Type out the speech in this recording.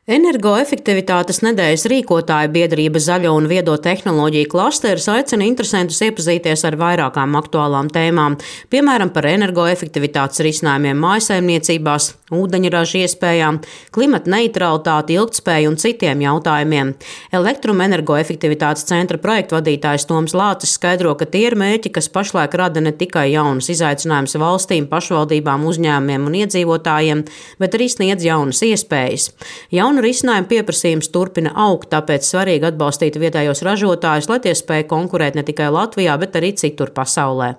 Energoefektivitātes nedēļas rīkotāja biedrība Zaļo un viedo tehnoloģiju klasteris aicina interesentus iepazīties ar vairākām aktuālām tēmām, piemēram, par energoefektivitātes risinājumiem mājasaimniecībās, ūdeņraža iespējām, klimata neutralitāti, ilgtspēju un citiem jautājumiem. Elektroenergoefektivitātes centra projektu vadītājs Toms Lācis skaidro, ka tie ir mērķi, kas pašlaik rada ne tikai jaunus izaicinājumus valstīm, pašvaldībām, uzņēmumiem un iedzīvotājiem, bet arī sniedz jaunas iespējas. Jaunu risinājumu pieprasījums turpina augt, tāpēc svarīgi atbalstīt vietējos ražotājus, lai tie spēj konkurēt ne tikai Latvijā, bet arī citur pasaulē.